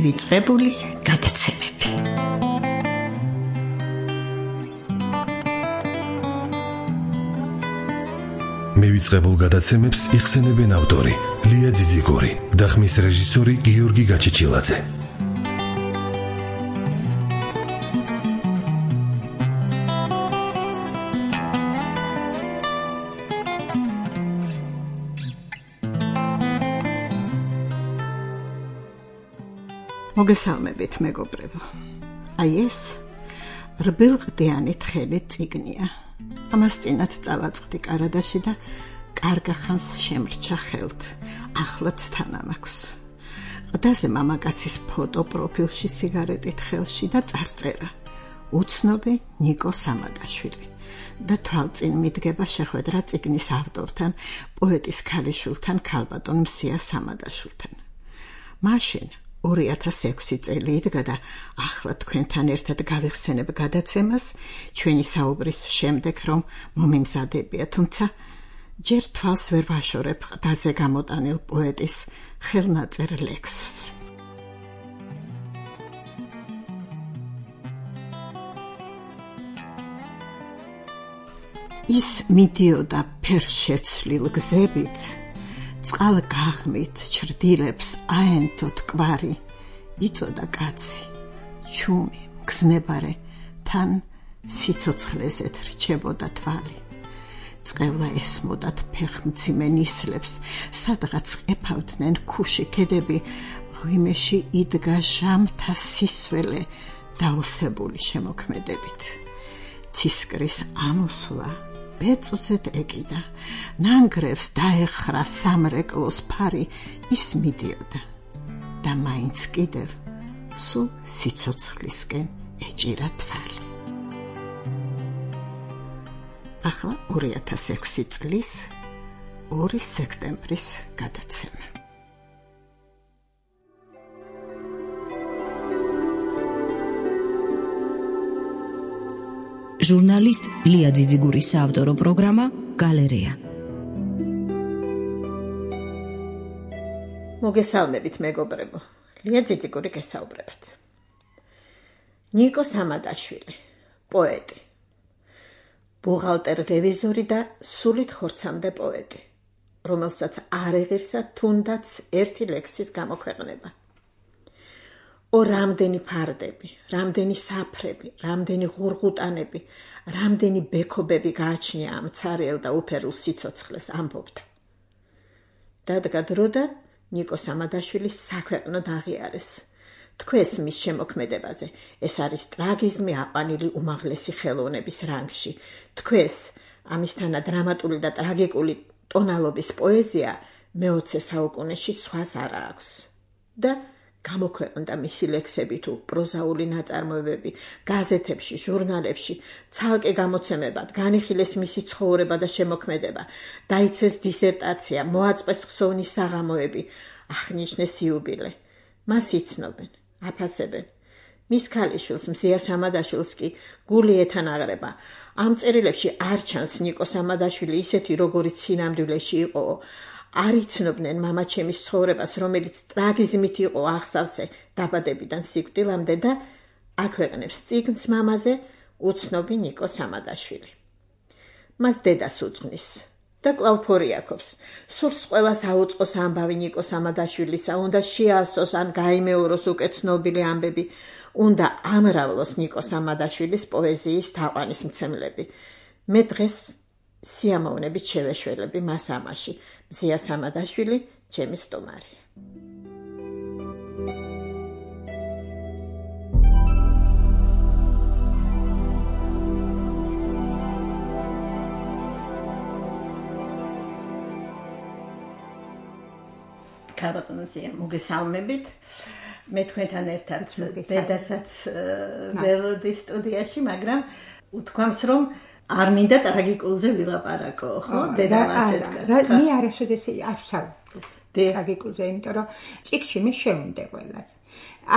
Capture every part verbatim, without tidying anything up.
მივიწყებული გადაცემები. მივიწყებულ გადაცემებს იხსენებენ ავტორი ლია ძიძიგური და ხმის რეჟისორი გიორგი გაჩეჩილაძე. მოგესალმებით მეგობრებო. აი ეს რბილყდიანი თხელი წიგნია. ამას წინათ წავაწყდი კარადაში და კარგა ხანს შემრჩა ხელთ. ახლაც თანამაქვს. ყდაზე მამაკაცის ფოტო პროფილში სიგარეტით ხელში და წარწერა. უცნობი ნიკო სამადაშვილი. და თვალწინ მიდგება შეხვედრა წიგნის ავტორთან, პოეტის ქალიშვილთან, ქალბატონ მსია სამადაშვილთან. მაშინ ორი ათას ექვსი წელი იდგა და ახლა თქვენთან ერთად გავიხსენებ გადაცემას ჩვენი საუბრის შემდეგ, რომ მომიმზადებია, თუმცა ჯერ თვალს ვერ ვაშორებ ყდაზე გამოტანილ პოეტის ხელნაწერ ლექსს. ის მიდიოდა ფერშეცვლილ გზებით, წყალ გაღმით ჩრდილებს აენთო თკვარი, იწოდა კაცი, ჩუმი, მგზნებარე, თან სიცოცხლეზეთ რჩებოდა თვალი. წყევლა ესმოდათ ფეხმძიმე ნისლებს, სადღაც ყეფავდნენ ქუში ქედები, ღვიმეში იდგა ჟამთა სისველე დაოსებული შემოქმედებით. ცისკრის ამოსვლა ბეწვზედ ეკიდა, ნანგრევს დაეხრა სამრეკლოს ფარი, ის მიდიოდა და მაინც კიდევ სულ სიცოცხლისკენ ეჭირა თვალი. ახლა ორი ათას ექვსი წლის ორი სექტემბრის გადაცემა. ჟურნალისტ ლია ძიძიგურის საავტორო პროგრამა გალერეა. მოგესალმებით მეგობრებო. ლია ძიძიგური გესაუბრებათ. ნიკო სამადაშვილი, პოეტი, ბუღალტერ რევიზორი და სულით ხორცამდე პოეტი, რომელსაც არ ეღირსა თუნდაც ერთი ლექსის გამოქვეყნება. ო რამდენი ფარდები, რამდენი საფრები, რამდენი ღურღუტანები, რამდენი ბექობები გააჩნია ამ ცარიელ და უფერულ სიცოცხლეს, ამბობდა. დადგა დრო და ნიკო სამადაშვილის საქვეყნოდ აღიარეს. თქვეს მის შემოქმედებაზე, ეს არის ტრაგიზმი აყვანილი უმაღლესი ხელოვნების რანგში. თქვეს ამისთანა დრამატული და ტრაგიკული ტონალობის პოეზია მეოცე საუკუნეში სხვას არ აქვს. და გამოქვეყნდა მისი ლექსები თუ პროზაული ნაწარმოებები, გაზეთებში, ჟურნალებში, ცალკე გამოცემებად, განიხილეს მისი ცხოვრება და შემოქმედება, დაიცეს დისერტაცია, მოაწყვეს ხსოვნის საღამოები, აღნიშნეს იუბილე. მას იცნობენ, აფასებენ. მის ქალიშვილს, მსია სამადაშვილს კი გული ეთანაღრება. ამ წერილებში არ ჩანს ნიკო სამადაშვილი ისეთი, როგორიც სინამდვილეში იყო. არ იცნობდნენ მამაჩემის ცხოვრებას, რომელიც ტრაგიზმით იყო აღსავსე დაბადებიდან სიკვდილამდე და აქვეყნებს წიგნს მამაზე უცნობი ნიკო სამადაშვილი. მას დედას უძღვნის და კვლავ ფორიაქობს. სურს ყველას აუწყოს ამბავი ნიკო სამადაშვილისა, უნდა შეავსოს ან გაიმეოროს უკეცნობილი ამბები, უნდა ამრავლოს ნიკო სამადაშვილის პოეზიის თაყვანისმცემლები. მე დღეს სიამოვნებით შევეშველები მას ამაში. მსია სამადაშვილი, ჩემი სტუმარია. ქალბატონ მსია, მოგესალმებით. მე თქვენთან ერთად დედასაც ველოდი სტუდიაში, მაგრამ უთქვამს, რომ არ მინდა ტრაგიკულზე ვილაპარაკო, ხო? დედამ ასე თქვა. მე არასოდეს არ ვსაუბრობ ტრაგიკულზე, იმიტომ რომ წიგნში მე შევუნდე ყველას.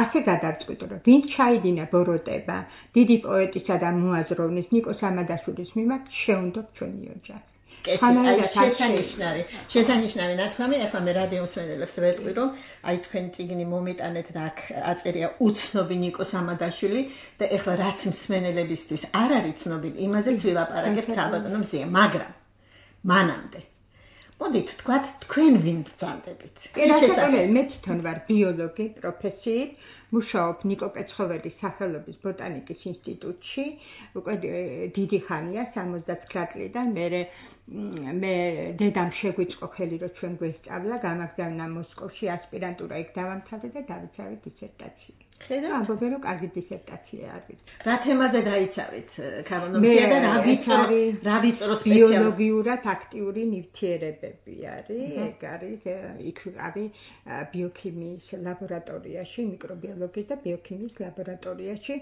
ასე გადავწყვიტე, რომ ვინ ჩაიდინა ბოროტება დიდი პოეტისა და მოაზროვნის ნიკო სამადაშვილის მიმართ, შევუნდობ ჩვენი ოჯახი. შესანიშნავი შესანიშნავი ნათქვამი. ახლა მე რადიო მსმენელებს ვეტყვი, რომ აი თქვენი წიგნი მომიტანეთ და აქ აწერია უცნობი ნიკო სამადაშვილი და ახლა რაც მსმენელებისთვის არ არის ცნობილი, იმაზეც ვილაპარაკებთ ქალბატონო მზია, მაგრამ მანამდე მოდით თქვათ თქვენ ვინ ბრძანდებით? შესაძლოა მე თვითონ ვარ ბიოლოგი პროფესიით, მუშაობ ნიკო კეცხოველის სახელობის ბოტანიკის ინსტიტუტში, უკვე დიდი ხანია, სამოცდათვრამეტ წლიდან. მე მე დედამ შეგვიწყო ხელი, რომ ჩვენ გვესწავლა, გამაგზავნა მოსკოვში ასპირანტურა, იქ დავამთავრე და დავიცავე დისერტაცია. ხედავთ, ამბობენ, რომ კარგი დისერტაცია არის. რა თემაზე დაიცავით ქალბატონო და რა ვიწრო რა ვიწრო სპეციალურად? ბიოლოგიურად აქტიური ნივთიერებები არის, ეგ არის, იქ არის ბიოქიმიის ლაბორატორიაში, მიკრობიოლოგიის და ბიოქიმიის ლაბორატორიაში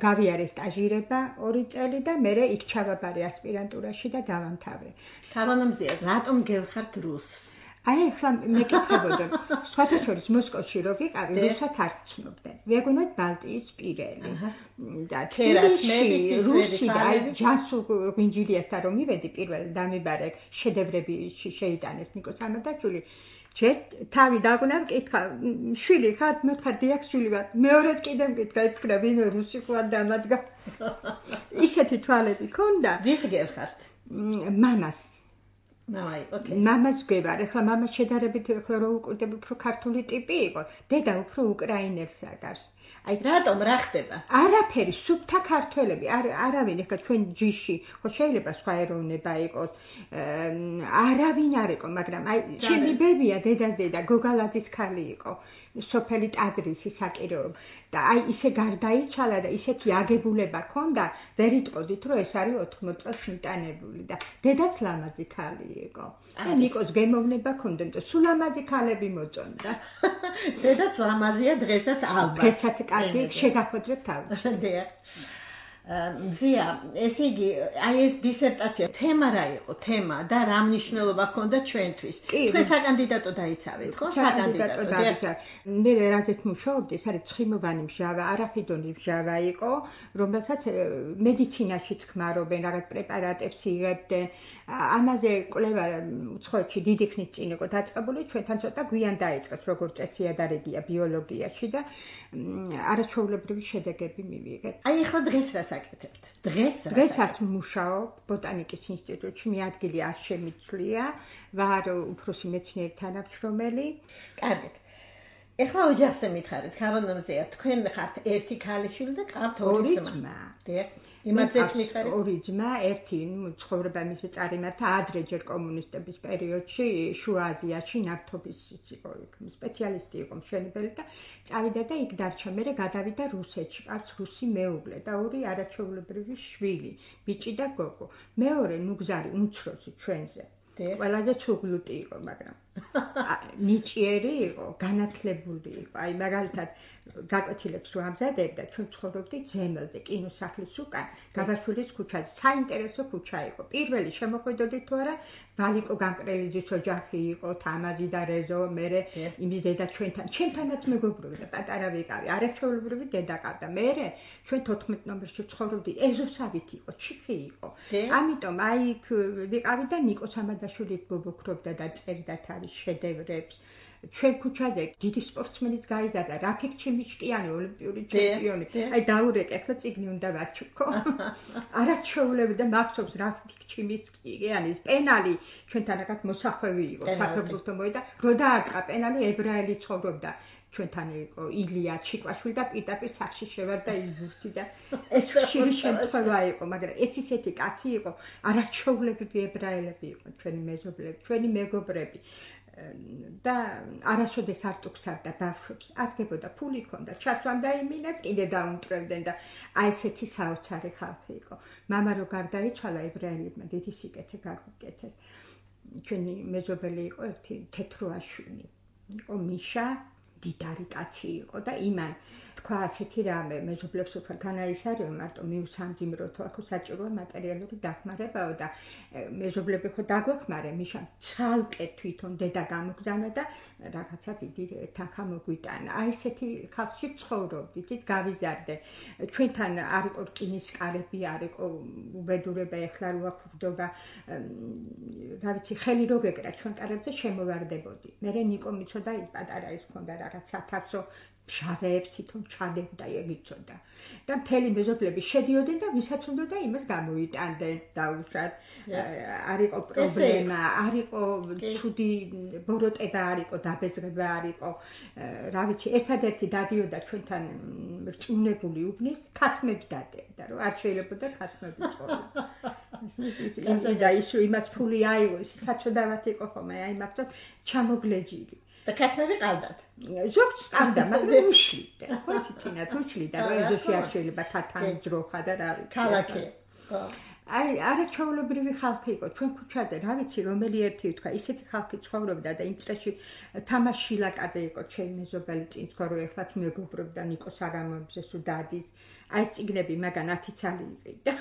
გავიარე სტაჟირება ორი წელი და მე იქ ჩავაბარე ასპირანტურაში და დავამთავრე. ქალბატონო მზია, რატომ გევხართ რუსს? აი ახლა მეკითხებოდა, სხვათა შორის მოსკოვში რო ვიყავი, რუსად არ ვცნობდნენ. ვეგონოთ ბალტიის პირელი. და თბილისში რუსი და აი ჯანსუღ ღვინჯილიასთან რომ მივედი პირველ დამიბარე შედევრები შეიტანეს ნიკო სამადაშვილი. ჯერ თავი დაგუნა მკითხა, შვილი ხარ? მე ვთქვა დიახ, შვილი ვარ. მეორედ კიდე მკითხა, იფიქრა ვინმე რუსი ხარ დამადგა. ისეთი თვალები ქონდა. ვის გევხართ? მამას. აი, ოკეი. მამას გვევარ. ახლა მამა შედარებით ახლა რო უკვირდები უფრო ქართული ტიპი იყო. დედა უფრო უკრაინელს აკარს. აი, რატომ რა ხდება? არაფერი, სუფთა ქართველები, არავინ, ახლა ჩვენ ჯიში, ხო შეიძლება სხვა ეროვნება იყოს. არავინ არ იყო, მაგრამ აი, ჩემი ბებია, დედას დედა, გოგალაძის ქალი იყო. სოფელი ტაძრისი საკირეო და აი ისე გარდაიცვალა და ისეთი აგებულება ქონდა, ვერ იტყოდით, რომ ეს არის ოთხმოც წელს მიტანებული და დედაც ლამაზი ქალი იყო. და ნიკოს გემოვნება ქონდა, და სულ ლამაზი ქალები მოწონდა. დედაც ლამაზია დღესაც ალბათ. დღესაც კარგი შეგახოდრებ თავში. დიახ. მზია, ესე იგი, აი ეს დისერტაცია თემა რა იყო? თემა და რა მნიშვნელობა ჰქონდა ჩვენთვის? თქვენ საკანდიდატო დაიცავეთ, ხო? საკანდიდატო დაიცავ. მე რაზეც მუშაობდი, ეს არის ცხიმოვანი მჟავა, არახიდონის მჟავა იყო, რომელსაც მედიცინაშიც ხმარობენ, რაღაც პრეპარატებს იღებდნენ. ამაზე კვლევა უცხოეთში დიდი ხნის წინ იყო დაწყებული, ჩვენთან ცოტა გვიან დაიწყეს, როგორც წესი ადარებია ბიოლოგიაში და არაჩვეულებრივი შედეგები მივიღეთ. აი ახლა დღეს რა საკეთებთ? დღეს რა? დღესაც მუშაობ ბოტანიკის ინსტიტუტში, მე ადგილი არ შემიცვლია, ვარ უფროსი მეცნიერი თანამშრომელი. კარგით. ეხლა ოჯახზე მითხარით, ქალბატონო მზია, თქვენ ხართ ერთი ქალიშვილი და ყავთ ორი ძმა. დიახ. იმათზეც მითხარით? ორი ძმა, ერთი ცხოვრება მისი წარიმართა ადრე ჯერ კომუნისტების პერიოდში, შუა აზიაში ნავთობის იყო, სპეციალისტი იყო მშენებელი და წავიდა და იქ დარჩა. მერე გადავიდა რუსეთში, ყავს რუსი მეუღლე და ორი არაჩვეულებრივი შვილი, ბიჭი და გოგო. მეორე ნუგზარი უმცროსი ჩვენზე. ყველაზე ცუგლუტი იყო, მაგრამ ნიჭიერი იყო, განათლებული იყო. აი მაგალითად გაკვეთილებს რო ამზადებდა, ჩვენ ცხოვრობდით ზემელზე, კინოსახლის უკან, გაბაშვილის ქუჩაზე. საინტერესო ქუჩა იყო. პირველი შემოხვიდოდით თუ არა, ვალიკო გამკრელიძის ოჯახი იყო, თამაზი და რეზო, მერე იმის დედა ჩვენთან, ჩვენთანაც მეგობრობდა, პატარა ვიყავი, არაჩვეულებრივი დედა ყავდა. მერე ჩვენ თოთხმეტ ნომერში ცხოვრობდით, ეზოსავით იყო, ჩიხი იყო. ამიტომ აი ვიყავი და ნიკო სამადაშვილით ბობოქრობდა და წერდა თავის შედევრებს. ჩვენ ქუჩაზე დიდი სპორტსმენიც გაიზარდა, რაფიკ ჩიმიშკიანი, ოლიმპიური ჩემპიონი. აი დაურეკე, ახლა წიგნი უნდა ვაჩუქო. არაჩვეულები და მახსოვს რაფიკ ჩიმიშკიანის პენალი ჩვენთან რაღაც მოსახვევი იყო, საფეხბურთო მოიდა, რო დაარტყა პენალი, ებრაელი ცხოვრობდა. ჩვენთან იყო ილია ჩიკვაშვილი და პირდაპირ სახში შევარდა იბურთი და ეს ხშირი შემთხვევა იყო, მაგრამ ეს ისეთი კაცი იყო, არაჩვეულებრივი ებრაელები იყო ჩვენი მეზობლები, ჩვენი მეგობრები. და არასოდეს არ ტუქსავდა ბავშვებს, ადგებოდა ფული ქონდა, ჩასვამდა იმინად, კიდე დაუნტრევდნენ და აი ესეთი საოცარი ხალხი იყო. მამა რო გარდაიცვალა, ებრაელებმა დიდი სიკეთე გაგუკეთეს. ჩვენი მეზობელი იყო ერთი თეთროაშვილი. იყო მიშა, დიდარი კაცი იყო და იმან თქვა ასეთი რამე მეზობლებს უცხო განაისარიო მარტო მიუსამძიმროთო აქ საჭიროა მატერიალური დახმარებაო და მეზობლები ხო დაგვეხმარე მიშა ცალკე თვითონ დედა გამოგზავნა და რაღაცა დიდი თანხა მოგვიტანა აი ესეთი ხალხში ცხოვრობდით ის გავიზარდე ჩვენთან არ იყო რკინის კარები არ იყო უბედურება ეხლა რო აქ ვდობა რა ვიცი ხელი რო გეკრა ჩვენ კარებზე შემოვარდებოდი მე ნიკო მიცოდა ის პატარა ის ქონდა რაღაც სათავსო შავებს თვითონ ჩადებდა ეგიცოდა და მთელი მეზობლები შედიოდნენ და ვისაც უნდა იმას გამოიტანდნენ დაუშვათ არ იყო პრობლემა არ იყო ცუდი ბოროტება არ იყო დაბეზრება არ იყო რა ვიცი ერთადერთი დადიოდა ჩვენთან რწმუნებული უბნის ქათმებს დადებდა რომ არ შეიძლებოდა ქათმები წოლა ის და ის იმას ფული აიღო ის საწოდავად იყო ხოლმე აი მაგతో ჩამოგლეჯილი და ქათმები ყავდათ ზოგს ყავდა მაგრამ უშლიდა ხო თინა თუშლიდა რომ ეზოში არ შეიძლება ქათამი ძროხა და რა ვიცი ქალაქი აი არაჩვეულებრივი ხალხი იყო ჩვენ ქუჩაზე რა ვიცი რომელი ერთი თქვა ისეთი ხალხი ცხოვრობდა და იმ წრეში თამაში ლაკაძე იყო ჩემი მეზობელი წინ თქვა რომ ეხლა მეგობრობდა ნიკოს არამობზე სულ დადის აი წიგნები მაგან ათი ცალი იყიდა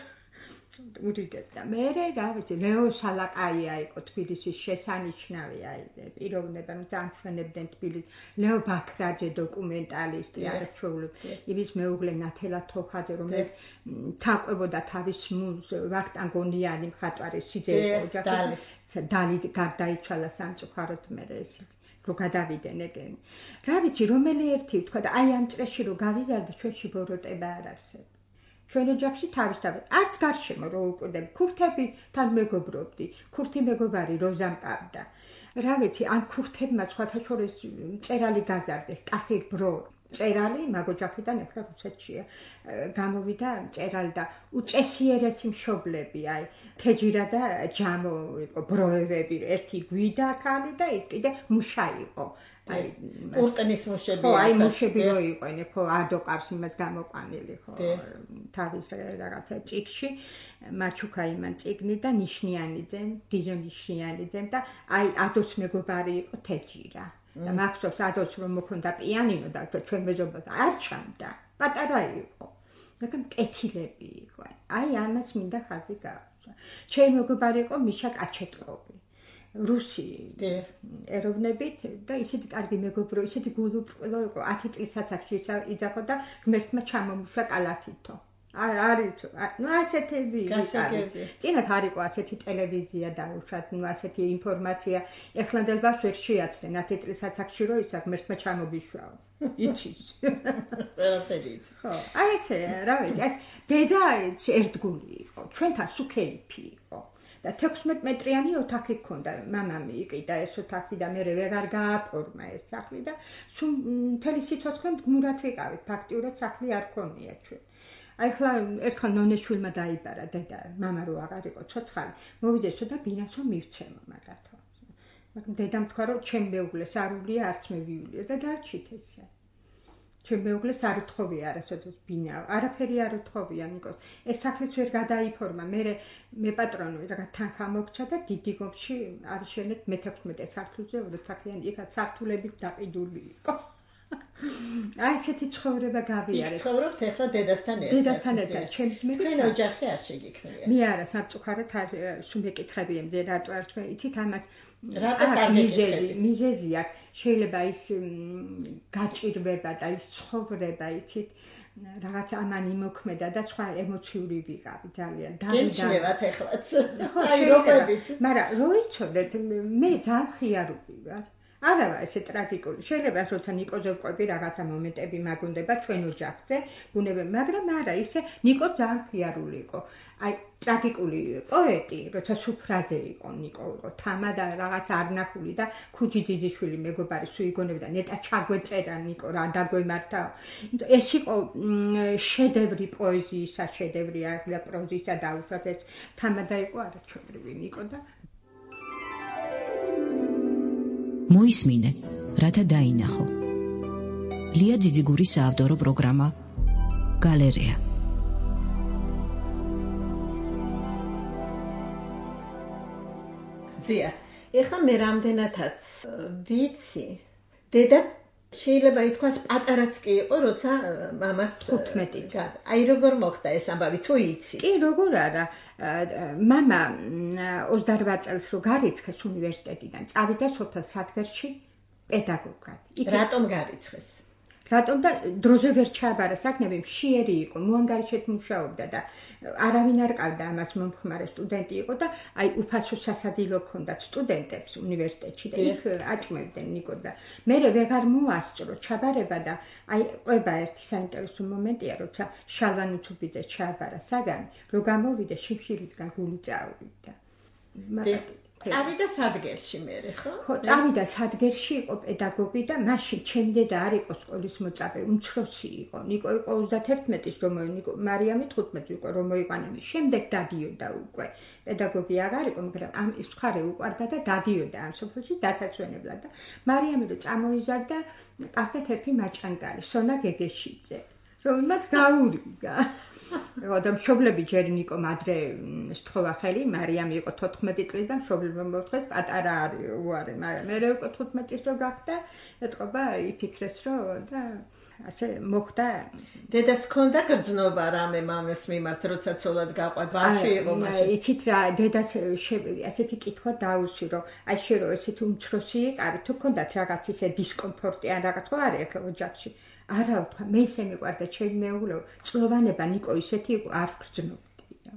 ურიგებდა მე რა ვიცი ლეო სალაკაია იყო თბილისის შესანიშნავი აი პიროვნება რომ ამშვენებდნენ თბილისს ლეო ბაქრაძე დოკუმენტალისტი არაჩვეულები იმის მეუღლე ნათელა თოხაძე რომელიც თაყვებოდა თავის მუზ ვახტანგონიანი მხატვარი სიძე ოჯახი დალი გარდაიცვალა სამწუხაროდ მე ეს რო გადავიდნენ ეგენი რა ვიცი რომელი ერთი თქვა და აი ამ წრეში რო გავიზარდე ჩვენში ბოროტება არ არსებობს ჩვენ ოჯახში თავისთავად არც გარშემო რო უკვირდები ქურთები თან მეგობრობდი ქურთი მეგობარი როზა მყავდა რა ვიცი ამ ქურთებმა სხვათა შორის წერალი გაზარდეს ტახირ ბრო წერალი მაგოჯახიდან ეხლა რუსეთშია გამოვიდა წერალი და უწესიერესი მშობლები აი თეჯირა და ჯამო იყო ბროევები ერთი გვიდა ქალი და ის კიდე მუშა იყო აი კურტნის მუშები ხო აი მუშები რო იყვნენ ხო ადოყავს იმას გამოყვანილი ხო თავის რაღაცა წიგში მაჩუკა იმან წიგნი და ნიშნიანიძე გიჟო ნიშნიანიძე და აი ადოს მეგობარი იყო თეჯირა და მახსოვს ადოს რომ მოქონდა პიანინო და ჩვენ მეზობელს არ ჩამდა პატარა იყო მაგრამ კეთილები იყო აი ამას მინდა ხაზი გაუსვა ჩემი მეგობარი იყო მიშა კაჩეტკოვი რუსი ეროვნებით და ისეთი კარგი მეგობრო ისეთი გულუბრყვილო იყო ათი წლის ასაკში იძახო და ღმერთმა ჩამომუშვა კალათითო არის ნუ ასეთები წინათ არ იყო ასეთი ტელევიზია და უშად ნუ ასეთი ინფორმაცია ეხლანდელბას ვერ შეაცდნენ ათი წლის ასაკში რო ისა ღმერთმა ჩამოგიშვაო იცის ყველაფერიც ხო აი ესე რა ვიცი ეს დედა ერთგული იყო ჩვენთან სუქეიფი იყო და თექვსმეტ მეტრიანი ოთახი ჰქონდა მამამ იყიდა ეს ოთახი და მე ვეღარ გააფორმა ეს სახლი და სულ მთელი სიცოცხლე მდგმურად ვიყავით ფაქტიურად სახლი არ ქონია ჩვენ აი ხლა ერთხელ ნონეშვილმა დაიბარა დედა მამა რო აღარ იყო ცოცხალი მოვიდესო და ბინას რომ მივცემო მაგათო მაგრამ დედამ თქვა რომ ჩემ მეუღლეს არ ვლია არც მე ვივლია და დარჩით ესე ჩემ მეუღლეს არ უთხოვია არასოდეს ბინა არაფერი არ უთხოვია ნიკოს ეს სახლიც ვერ გადაიფორმა მე მე პატრონო რაღაც თანხა მოგცა და დიდი გომში არიშენეთ მეთექვსმეტე სართულზე ოთახიანი იქაც სართულებით დაყიდული იყო აი ესეთი ცხოვრება გავიარე ცხოვრობთ ახლა დედასთან ერთად დედასთან ერთად ჩემს მე ჩვენ ოჯახი არ შეგიქნია მე არა სამწუხაროდ არ სულ მეკითხები ემზე რატო არ თქვენ იცით ამას რატოს არ მიგეკითხები მიზეზი აქვს შეიძლება ის გაჭირვება და ის ცხოვრება იცით რაღაც ამან იმოქმედა და სხვა ემოციური ვიყავი ძალიან დავიდავთ ეხლაც აი როგორიც მაგრამ რო იცოდეთ მე ძალიან ხიარული ვარ არავა ესე ტრაგიკული შეიძლება როცა ნიკოზე ვყვები რაღაცა მომენტები მაგუნდება ჩვენ ოჯახზე ბუნებრივ მაგრამ არა ისე ნიკო ძალიან ხიარული იყო აი ტრაგიკული პოეტი როცა სუფრაზე იყო ნიკო იყო თამა და რაღაც არნახული და ქუჯი ძიძიშვილი მეგობარი სუიგონები და ნეტა ჩაგვეწერა ნიკო რა დაგვემართა ეს იყო შედევრი პოეზიისა შედევრი ახლა პროზისა დაუშვათ ეს თამა და იყო არაჩვეულებრივი ნიკო და მოისმინე, რათა დაინახო. ლია ძიძიგურის საავტორო პროგრამა გალერეა. ზია, ეხლა მე რამდენადაც ვიცი, დედა შეიძლება ითქვას პატარაც კი იყო, როცა მამას თხუთმეტი წელი. აი როგორ მოხდა ეს ამბავი, თუ იცი? კი, როგორ არა. მამა ოცდაორ წელს რო გარიცხეს უნივერსიტეტიდან, წავიდა სოფელ სადგერში პედაგოგად. რატომ გარიცხეს? რატომ და დროზე ვერ ჩააბარა საქმე, მშიერი იყო, მოანგარიშედ მუშაობდა და არავინ არ ყავდა ამას მომხმარე სტუდენტი იყო და აი უფასო სასადილო ჰქონდათ სტუდენტებს უნივერსიტეტში და იქ აჭმევდნენ ნიკო და მე ვეღარ მოასწრო ჩაბარება და აი ყובה ერთი საინტერესო მომენტია, როცა შალვა ნუცუბიძე ჩააბარა საგანი, რო გამოვიდა შიმშილისგან გული წავიდა. წავიდა სადგერში მერე, ხო? ხო, წავიდა სადგერში, იყო პედაგოგი და მაშინ ჩემი დედა არ იყო სკოლის მოწაფე, უმცროსი იყო. ნიკო იყო ოცდაერთმეტის რომ ნიკო მარიამი თხუთმეტი იყო რომ მოიყვანა. შემდეგ დადიოდა უკვე. პედაგოგი აღარ იყო, მაგრამ ამ ის მხარე უყვარდა და დადიოდა ამ სოფელში დაცაცვენებლად და მარიამი რო წამოიზარდა, ყავდათ ერთი მაჭანგარი, სონა გეგეშიძე. რომელმაც გაურიგა. და მშობლები ჯერ ნიკომ ადრე სთხოვა ხელი, მარიამი იყო თოთხმეტი წლის და მშობლებმა მოთხოვეს პატარა არის უარი, მაგრამ მე უკვე თხუთმეტის რო გახდა, ეთყობა იფიქრეს რომ და ასე მოხდა. დედას ჰქონდა გრძნობა რამე მამას მიმართ, როცა ცოლად გაყვა, ბავშვი იყო მაშინ. იცით რა, დედას ასეთი კითხვა დაუსვი, რომ აი შე რო ესეთი უმცროსი იყავი, თუ ჰქონდათ რაღაც ისე დისკომფორტი ან რაღაც ხო არის აქ ოჯახში. არა ვთქვა, მე ისე მიყვარდა ჩემი მეუღლეო, წლოვანება ნიკო ისეთი იყო, არ ვგრძნობდია.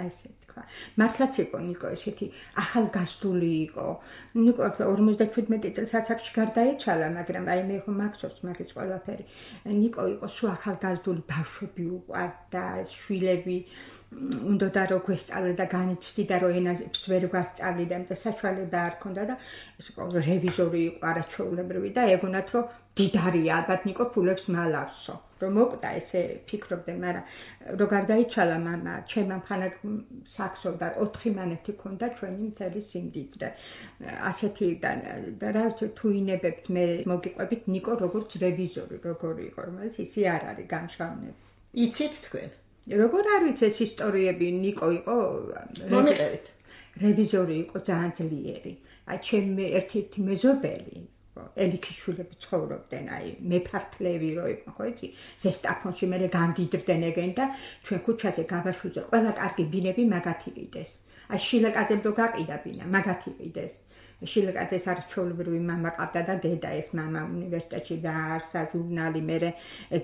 აი ესე თქვა. მართლაც იყო ნიკო ესეთი ახალგაზრდული იყო. ნიკო ორმოცდაშვიდმეტი წელს ასაკში გარდაეცვალა, მაგრამ აი მე ხო მაქსობს მაგის ყველაფერი. ნიკო იყო სულ ახალგაზრდული ბავშვები უყვარდა, შვილები უნდა რომ გვესწავლე და განიცდიდა რომ ენას ვერ გვასწავლიდა, და საშუალება არ ქონდა და ეს იყო რევიზორი იყო არაჩვეულებრივი და ეგონათ რომ დიდარია ალბათ ნიკო ფულებს მალავსო. რომ მოკვდა ესე ფიქრობდნენ, მაგრამ რო გარდაიცვალა მამა, ჩემ ამხანაგ საქსოვდა ოთხი მანეთი ქონდა ჩვენი მთელი სიმდიდრე. ასეთი და რა ვიცი თუ ინებებთ მე მოგიყვებით ნიკო როგორც რევიზორი, როგორი იყო, რომელიც ისი არ არის გამშრალნები. იცით თქვენ? როგორ არ ვიცი ეს ისტორიები, ნიკო იყო მომიყევით. რევიზორი იყო ძალიან ძლიერი. აი ჩემი ერთ-ერთი მეზობელი ელიქიშვილები ცხოვრობდნენ, აი მეფართლები რო იყო, ხო იცი? ზესტაფონში მე გამდიდრდნენ ეგენ და ჩვენ ქუჩაზე გაბაშვილზე ყველა კარგი ბინები მაგათი ყიდეს. აი შილაკაძე რო გაყიდა ბინა, მაგათი ყიდეს. შილაკაძეს არჩეულებრივი მამა ყავდა და დედა, ეს მამა უნივერსიტეტში დააარსა ჟურნალი, მე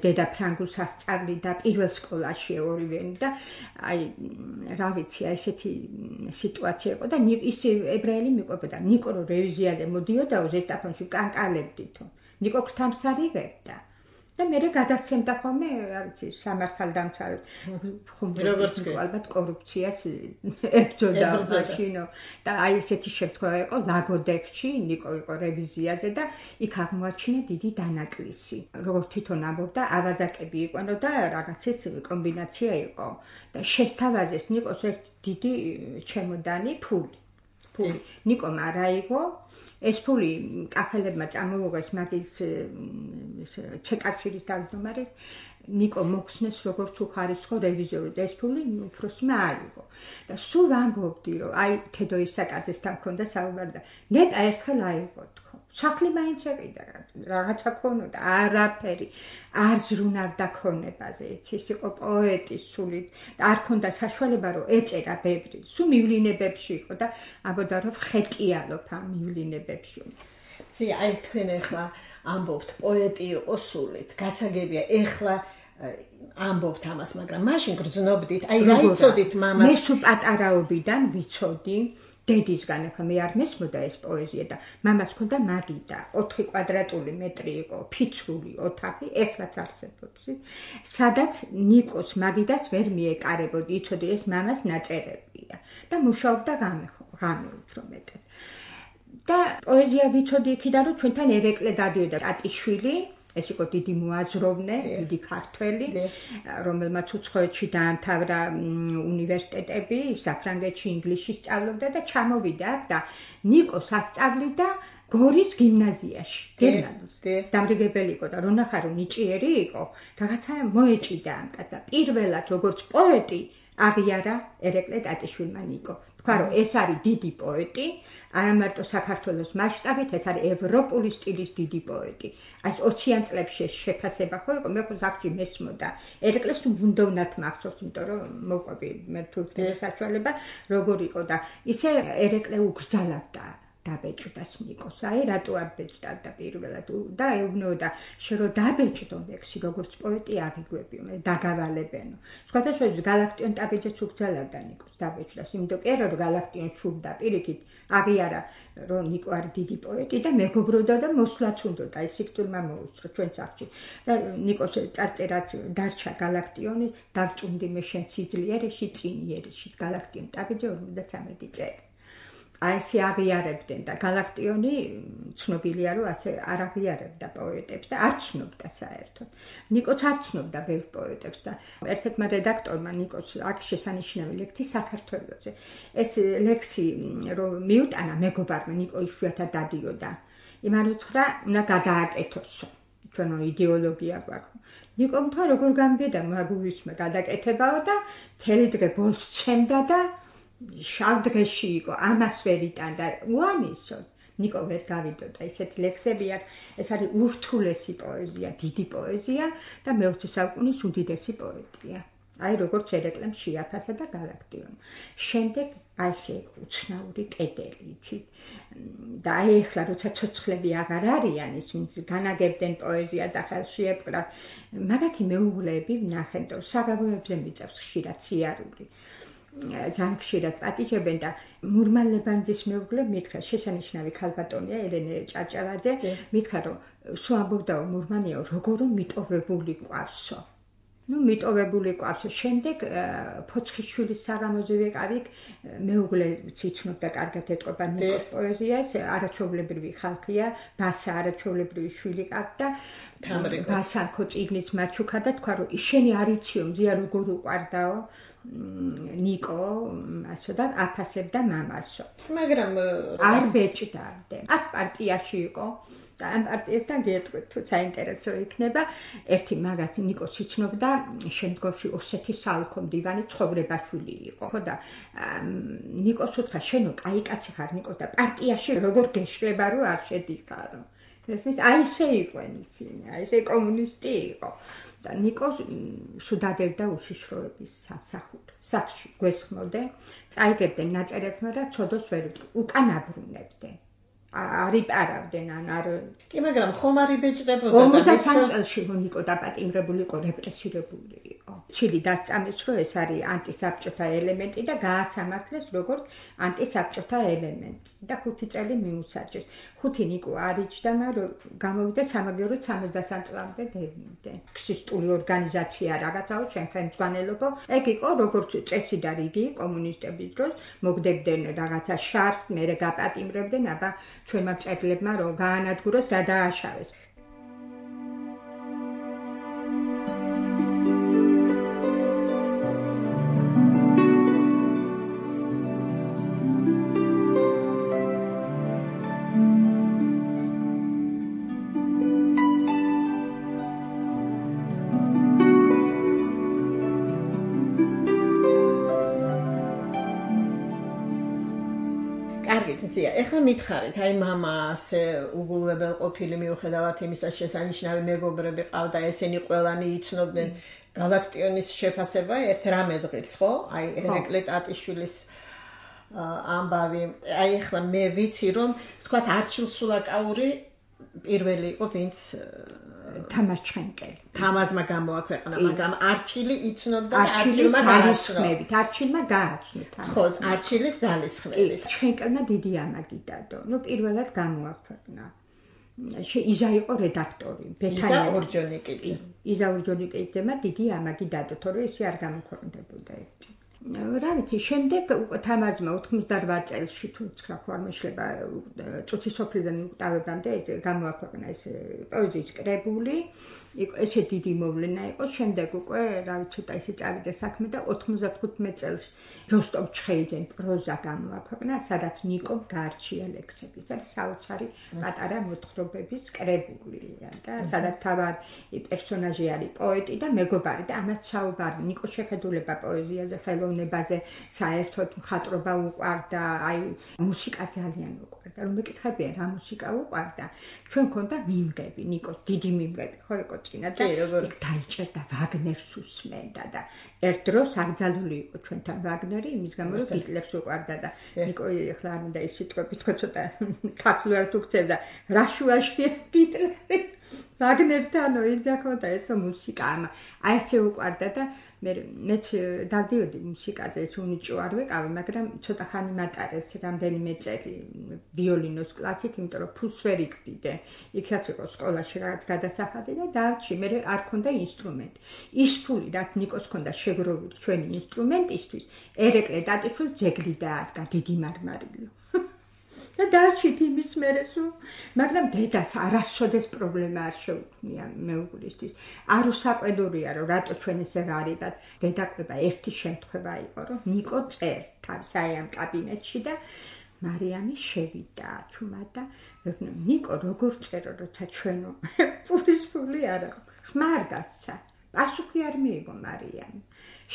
დედა ფრანგულს ასწავლიდა პირველ სკოლაში ორივენი და აი რა ვიცი, აი ესეთი სიტუაცია იყო და ისე ებრაელი მიყვებოდა. ნიკო რო რევიზიაზე მოდიოდაო ზესტაფონში კანკალებდითო. ნიკო ქრთამს არიღებდა. და მე გადასცემდა ხოლმე, რა ვიცი, სამართალდამცავად. როგორც კი ალბათ კორუფციას ებრძოდა მაშინო. და აი ესეთი შემთხვევა იყო ლაგოდექში, ნიკო იყო რევიზიაზე და იქ აღმოაჩინა დიდი დანაკლისი. როგორც თვითონ ამბობდა, ავაზაკები იყვანო და რაღაცის კომბინაცია იყო. და შესთავაზეს ნიკოს ერთ დიდი ჩემოდანი ფული. ფული. ნიკომ არ აიღო, ეს ფული კახელებმა წამოუღეს მაგის ჩეკავშირის თავმჯდომარეს, ნიკო მოხსნეს როგორც უხარისხო რევიზორი და ეს ფული უფროსმა აიღო. და სულ ვამბობდი, რომ აი თედო ისაკაძესთან მქონდა საუბარი და ნეტა ერთხელ აიღო თქო. სახლი მაინც ეყიდა, რაღაცა ქონოდა, არაფერი, არ ზრუნავდა ქონებაზე, ის იყო პოეტი სულით და არ ქონდა საშუალება რომ ეწერა ბევრი, სულ მივლინებებში იყო და ამბობდა რომ ხეტიალობ ამ მივლინებებში. ზი აი თქვენ ახლა ამბობთ პოეტი იყო სულით, გასაგებია ეხლა ამბობთ ამას, მაგრამ მაშინ გრძნობდით, აი რა იცოდით მამას? მე სულ პატარაობიდან ვიცოდი დედისგან, ახლა მე არ მესმოდა ეს პოეზია და მამას ჰქონდა მაგიდა, ოთხი კვადრატული მეტრი იყო, ფიცრული ოთახი, ეხლაც არსებობს, სადაც ნიკოს მაგიდას ვერ მიეკარებოდი, იცოდი ეს მამას ნაწერებია და მუშაობდა ღამე, ღამე უფრო მეტად. და პოეზია ვიცოდი იქიდან, რომ ჩვენთან ერეკლე დადიოდა ტატიშვილი, ეს იყო დიდი მოაზროვნე, დიდი ქართველი, რომელმაც უცხოეთში დაამთავრა უნივერსიტეტები, საფრანგეთში, ინგლისში სწავლობდა და ჩამოვიდა აქ და ნიკოს ასწავლიდა გორის გიმნაზიაში, გერმანულს. დამრიგებელი იყო და რონახარო ნიჭიერი იყო, რაღაცა მოეჭიდა ამ კაცს და პირველად როგორც პოეტი აღიარა ერეკლე ტატიშვილმა ნიკო. თქვა რომ ეს არის დიდი პოეტი, არა მარტო საქართველოს მასშტაბით, ეს არის ევროპული სტილის დიდი პოეტი. აი ოციან წლებში შეფასება ხო იყო, მე ხო ზახში მესმოდა. ერეკლეს უნდოვნად მახსოვს, იმიტომ რომ მოყვები მე თუ საშუალება როგორ იყო და ისე ერეკლე უგრძალებდა დაბეჭდას ნიკოს. აი რატო არ ბეჭდავდა პირველად და ეუბნოდა შე რომ დაბეჭდო ლექსი როგორც პოეტი აღიგვებიო, მე დაგავალებენო. სხვადასხვა გალაქტიონ დაბეჭდას უგრძალებდა ნიკოს დაბეჭდას, იმიტომ კი არა რომ გალაქტიონ შურდა პირიქით აღიარა რომ ნიკო არის დიდი პოეტი და მეგობრობდა და მოსვლაც უნდოდა ის სიკვდილმა მოუსწრო ჩვენ სახში. და ნიკოს წარწერაც დარჩა გალაქტიონი დაგჭუნდი მე შენ სიძლიერეში წინიერეში გალაქტიონ დაბეჭდა ორმოცდათრამეტი წელი. აი ესე აღიარებდნენ და გალაქტიონი ცნობილია რომ ასე არ აღიარებდა პოეტებს და არ ცნობდა საერთოდ. ნიკოც არ ცნობდა ბევრ პოეტებს და ერთ-ერთმა რედაქტორმა ნიკოს აქ შესანიშნავი ლექსი საქართველოზე. ეს ლექსი რომ მიუტანა მეგობარმა ნიკო იშვიათად დადიოდა. იმან უთხრა უნდა გადააკეთოსო. ჩვენო იდეოლოგია გვაქვს. ნიკომ თქვა როგორ გამბედა მაგუვისმა გადაკეთებაო და მთელი დღე ბოლოს ცემდა და შავ დღეში იყო, ამას ვერ იტანდა, უამისო. ნიკო ვერ გავიდოდა ესეთი ლექსები აქვს, ეს არის ურთულესი პოეზია, დიდი პოეზია და მეოცე საუკუნის უდიდესი პოეტია. აი როგორც ერეკლემ შეაფასა და გალაქტიონი. შემდეგ აი ესე უცნაური კედელი, იცით? და აი ახლა როცა ცოცხლები აღარ არიან, ის ვინც განაგებდნენ პოეზია და ხელში ეპყრა, მაგათი მეუღლეები ვნახეთ, რომ საღებავებზე მიწევს ხშირად სიარული. ძალიან ხშირად პატიჟებენ და მურმან ლებანძის მეუღლე მითხრა შესანიშნავი ქალბატონია ელენე ჭაჭავაძე მითხრა რომ სულ ამბობდაო მურმანიო როგორ მიტოვებული ყავსო ნუ მიტოვებული ყავსო შემდეგ ფოცხიშვილის საღამოზე ვიყავი მეუღლე ციცნობდა კარგად ეტყობა ნიკოს პოეზიას არაჩვეულებრივი ხალხია ბასა არაჩვეულებრივი შვილი ყავდა ბასა ხო წიგნის მაჩუქა და თქვა რომ შენი არიციო მზია როგორ უყარდაო ნიკო ასო და აფასებდა მამასო. მაგრამ არ ბეჭდავდნენ. აქ პარტიაში იყო და ამ პარტიასთან გეტყვით თუ საინტერესო იქნება. ერთი მაგას ნიკოს იცნობდა შემდგომში ოსეთის საოლქო მდივანი ცხოვრებაშვილი იყო. ხო და ნიკოს უთხრა შენო კაი კაცი ხარ ნიკო და პარტიაში როგორ გეშლება რომ არ შედიხარო. ესმის აი ესე იყვენ ისინი, აი ესე კომუნისტი იყო. და ნიკო სუდადევდა უშიშროების სამსახურს. სახში გვესხმოდნენ, წაიგებდნენ ნაწერებს, მაგრამ ცოდოს ვერ უკან აბრუნებდნენ. არ იპარავდნენ ან არ კი, მაგრამ ხომ არ იბეჭდებოდა და ორმოცდასამ წელში ნიკო დაპატიმრებული იყო, რეპრესირებული იყო. ჩილი დასწამეს, რომ ეს არის ანტისაბჭოთა ელემენტი და გაასამართლეს როგორც ანტისაბჭოთა ელემენტი და ხუთი წელი მიუსაჯეს. ხუთი ნიკო არიჯდა, მაგრამ გამოვიდა სამაგიეროდ სამოცდასამ წლამდე დევნიდე. ქსისტული ორგანიზაცია რაღაცაო, შენ ხელმძღვანელობო, ეგ იყო როგორც წესი და რიგი კომუნისტების დროს, მოგდებდნენ რაღაცა შარს, მერე გაპატიმრებდნენ, აბა ჩვენმა მწერლებმა რომ გაანადგუროს რა დააშავეს. ეხლა მითხარით, აი მამა ასე უგულებელ ყოფილი მიუხედავად იმისა შესანიშნავი მეგობრები ყავდა, ესენი ყველანი იცნობდნენ გალაქტიონის შეფასება ერთ რამე დღის, ხო? აი ერეკლე ტატიშვილის ამბავი. აი ეხლა მე ვიცი რომ თქვათ არჩილ სულაკაური პირველი იყო ვინც თამაზ ჩხენკელი. თამაზმა გამოაქვეყნა, მაგრამ არჩილი იცნობდა არჩილმა ძალისხმევით. არჩილმა გააცნო თამაზ. ხო, არჩილის ძალისხმევით. ჩხენკელმა დიდი ამაგი დადო. ნუ პირველად გამოაქვეყნა. იზა იყო რედაქტორი. იზა ორჯონიკიძე. იზა ორჯონიკიძემა დიდი ამაგი დადო, თორე ისე არ გამოქვეყნდებოდა ერთი. რა ვიცი, შემდეგ უკვე თამაზმა ოთხმოცდარვა წელსში თუ ცხრა ხო არ მეშლება წუთი სოფლიდან უკტავებამდე გამოაქვეყნა ეს პოეზიის კრებული, ესე დიდი მოვლენა იყო, შემდეგ უკვე რა ვიცი, ცოტა ისე წავიდა საქმე და ოთხმოცდათხუთმეტ წელს როსტომ ჩხეიძემ პროზა გამოაქვეყნა, სადაც ნიკომ გაარჩია ლექსები, ეს არის საოცარი პატარა მოთხრობების კრებულია და სადაც თავარი პერსონაჟი არის პოეტი და მეგობარი და ამაც საუბარი ნიკოს შეხედულება პოეზიაზე, ხელოვნებაზე, საერთოდ მხატვრობა უყვარდა, აი მუსიკა ძალიან უყვარდა. რომ მეკითხებია რა მუსიკა უყვარდა, ჩვენ მქონდა მიმღები, ნიკოს დიდი მიმღები ხო იყო წინა და იქ დაიჭერდა ვაგნერს უსმენდა და ერთ დროს აკრძალული იყო ჩვენთან ვაგნერი, იმის გამო რომ ჰიტლერს უყვარდა და ნიკო ეხლა არ მინდა ის სიტყვები თქვა ცოტა ქართულად უქცევდა რა შუაშია ჰიტლერი ვაგნერთანო იძახოდა ესო მუსიკა ამა აი ესე უყვარდა და მე მეც დავდიოდი მუსიკაზე ეს უნიჭო არ ვეკავი მაგრამ ცოტა ხანი მატარეს რამდენიმე წელი ვიოლინოს კლასით იმიტომ რომ ფულს ვერ იგდიდე იქაც იყო სკოლაში რაღაც გადასახადი და დავჭი მე არ ქონდა ინსტრუმენტი ის ფული რაც ნიკოს ქონდა შეგროვილი ჩვენი ინსტრუმენტისთვის ერეკლე ტატიშვილ ძეგლი დაადგა დიდი მარმარილო და დავჭით იმის მერე სულ მაგრამ დედას არასოდეს პრობლემა არ შეუქმნია მეუღლისთვის არ უსაყვედურია რომ რატო ჩვენ ესე გარიბად დედა ყვება ერთი შემთხვევა იყო რომ ნიკო წერთ აი ამ კაბინეტში და მარიამი შევიდა ჩუმა და ნიკო როგორ წერო როცა ჩვენო პურის ფული არა ხმა არ გასცა პასუხი არ მიიღო მარიამი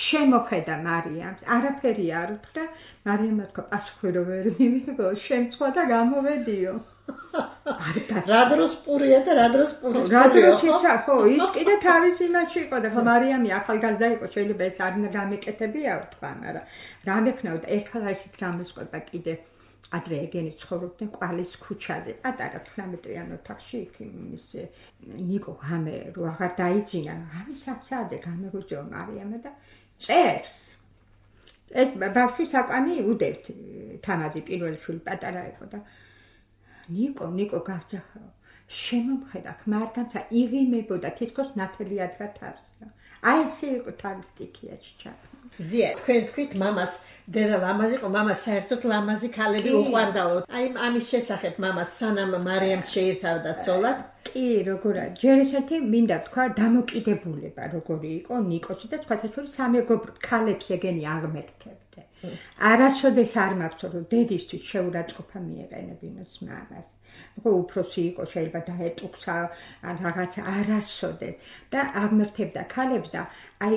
შემოხედა მარიამს არაფერი არ უთხრა მარიამმა თქვა პასუხი რო ვერ მივიღო შემცხვა და გამოვედიო არ გასცა რა დროს პურია და რა დროს პურის რა დროს ისა ხო ის კიდე თავის იმაში იყო და ხო მარიამი ახალგაზრდა იყო შეიძლება ეს არ გამეკეთებია თქვა მაგრამ რა მექნაოდა ერთხელ ისეთ რამეს ყვება კიდე ადრე ეგენი ცხოვრობდნენ ყვალის ქუჩაზე პატარა ცხრამეტრიან ოთახში იქ იმის ნიკო ღამე რო აღარ დაიძინა ღამე საათზე გამეგოჯო მარიამა და წერს ეს ბავშვი საკანი უდევთ თამაზი პირველი შვილი პატარა იყო და ნიკო ნიკო გავძახო შემომხედა ხმა არ გამცა იღიმებოდა თითქოს ნათელი ადგა თავს აი ესე იყო თავის სტიქიაში ჩაყ ზია თქვენ თქვით მამას დედა ლამაზი იყო მამა საერთოდ ლამაზი ქალები უყვარდაო აი ამის შესახებ მამას სანამ მარიამ შეირთავდა ცოლად კი როგორა ჯერ ესეთი მინდა თქვა დამოკიდებულება როგორი იყო ნიკოსი და სხვათა შორის სამეგობრო ქალებს ეგენი აღმერთებდა არასოდეს არ მაქვს რომ დედისთვის შეურაცხყოფა მიეყენებინოს მამას ხო უფროსი იყო შეიძლება დაეტუქსა ან რაღაც არასოდეს და აღმერთებდა ქალებს და აი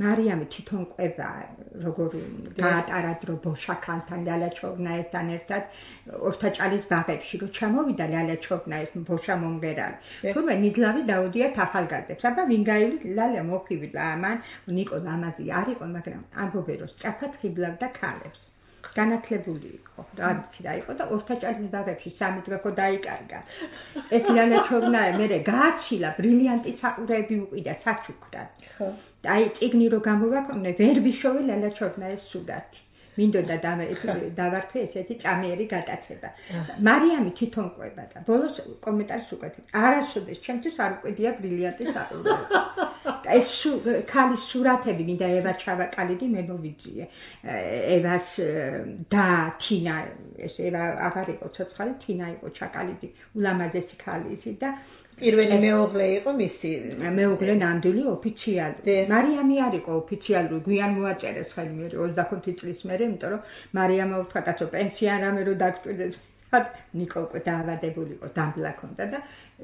მარიამი თვითონ ყვება როგორ გაატარა დრო ბოშა ქალთან ლიალა ჩორნაესთან ერთად ორთაჭალის ბაღებში რო ჩამოვიდა ლიალა ჩორნაეს ბოშა მომღერალი თურმე ნიდლავი დაუდიათ ახალგაზრდებს აბა ვინ გაივლის ლიალა მოხივდა ამან ნიკო ლამაზი არ იყო მაგრამ ამბობენ რომ სწრაფად ხიბლავდა ქალებს განათლებული იყო, რა ვიცი რა იყო და ორთაჭალის ბაღებში სამი დღე ხო დაიკარგა. ეს ლიალა ჩორნაე მერე გააცილა, ბრილიანტი საყურეები უყიდა საჩუქრად. ხო. აი წიგნი რო გამოვაქვეყნე, ვერ ვიშოვე ლიალა ჩორნაეს სურათი. მინდოდა დავარქვი ესეთი წამიერი გატაცება. მარიამი თვითონ ყვება და ბოლოს კომენტარს უკეთებ. არასოდეს ჩემთვის არ უყიდია ბრილიანტი საყურეები. ეს ქალის სურათები მინდა ევა ჩავაკალიდი მე მოვიძიე. ევას და თინა ეს ევა აღარ იყო ცოცხალი, თინა იყო ჩაკალიდი, ულამაზესი ქალი ისი და პირველი მეუღლე იყო მისი მეუღლე ნამდვილი ოფიციალური. მარიამი არ იყო ოფიციალური, გვიან მოაწერეს ხელი მე ოცდახუთი წლის მერე, იმიტომ რომ მარიამმა უთხრა კაცო პენსია რამე რო დაგჭირდეს. ნიკო უკვე დაავადებული იყო, დამბლა ქონდა და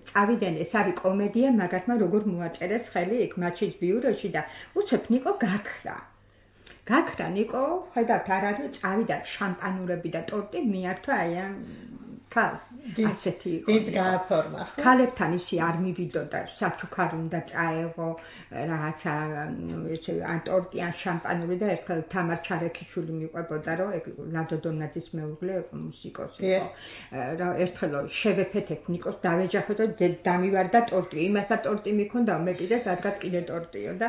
წავიდნენ ეს არის კომედია, მაგათმა როგორ მოაწერეს ხელი იქ მაჩის ბიუროში და უცებ ნიკო გაქრა. გაქრა ნიკო, ხედავთ არ არის, წავიდა შამპანურები და ტორტი მიართვა აი ამ ქალს. ასეთი იყო. ის გააფორმა. ქალებთან ისი არ მივიდოდა, საჩუქარი უნდა წაეღო, რაღაცა ან ტორტი ან შამპანური და ერთხელ თამარ ჩარექიშვილი მიყვებოდა, რომ ეგ ლადო დონაძის მეუღლე იყო, მუსიკოსი იყო. რა ერთხელ შევეფეთებ ნიკოს დავეჯახოთ და დამივარდა ტორტი. იმასა ტორტი მიქონდა, მე კიდე სადღაც კიდე ტორტიო და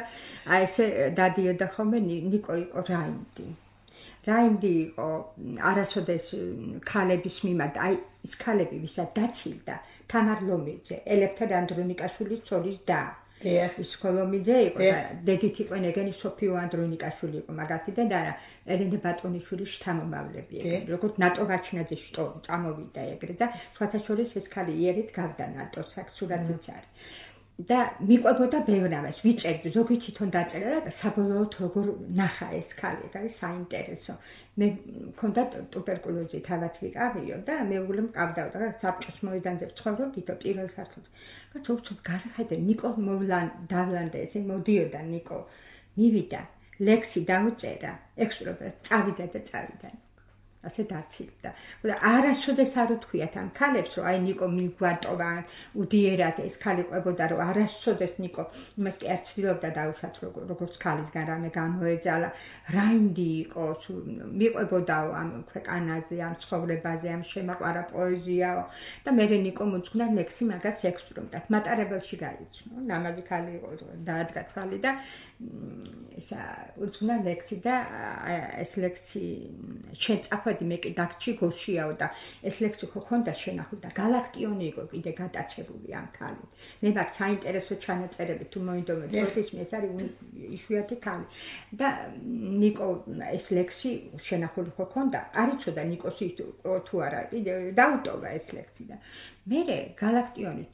აი ესე დადიოდა ხოლმე ნიკო იყო რაინდი. რაინდი იყო არასოდეს ქალების მიმართ, აი ის ქალები ვისაც დაცილდა, თამარ ლომიძე, ელეფთერ ანდრონიკაშვილის ცოლის და ის ქოლომიძე იყო და დედით იყო ეგენი სოფიო ანდრონიკაშვილი იყო მაგათი და და ელენე ბატონიშვილის შთამომავლები ეგრე როგორც ნატო გაჩნაძის შტო წამოვიდა ეგრე და სხვათა შორის ეს ქალი იერით გავდა ნატოს აქ სურათიც არის და მიყვებოდა ბევრამას ვიწერდი ზოგი თვითონ დაწერა და საბოლოოდ როგორ ნახა ეს ქალი ეს არის საინტერესო მე მქონდა ტუბერკულოზი თავად ვიყავიო და მეუღლე მყავდა და საბჭოს მოედანზე ვცხოვრობდითო პირველ სართულზე და თვითონ გავიხედე ნიკო მოვლან დავლანდა ესე მოდიოდა ნიკო მივიდა ლექსი დაუწერა ექსტრობა წავიდა და წავიდა ასე დაცილდა. და არასოდეს არ უთქვიათ ამ ქალებს, რომ აი ნიკო მიგვატოვა, უდიერად ეს ქალი ყვებოდა, რომ არასოდეს ნიკო იმას კი არ ცდილობდა დაუშვათ, როგორც ქალისგან რამე გამოეძალა, რაინდი იყო, მიყვებოდაო ამ ქვეყანაზე, ამ ცხოვრებაზე, ამ შემაყვარა პოეზიაო და მე ნიკო მოძღვნა ლექსი მაგას ექსტრომდათ. მატარებელში გაიცნო. ნამაზი ქალი იყო, დაადგა თვალი და ისა უძღვნა ლექსი და ეს ლექსი შეწახვედი მე კი დაგჭი გოშიაო და ეს ლექსი ხო ქონდა შენახული და გალაქტიონი იყო კიდე გადაწებული ამ ქალით. მე მაგ საინტერესო ჩანაწერები თუ მოინდომები პროფის მე ეს არის იშვიათი ქალი და ნიკო ეს ლექსი შენახული ხო ქონდა არ იცოდა ნიკოსი თუ არა დაუტოვა ეს ლექსი და მე გალაქტიონი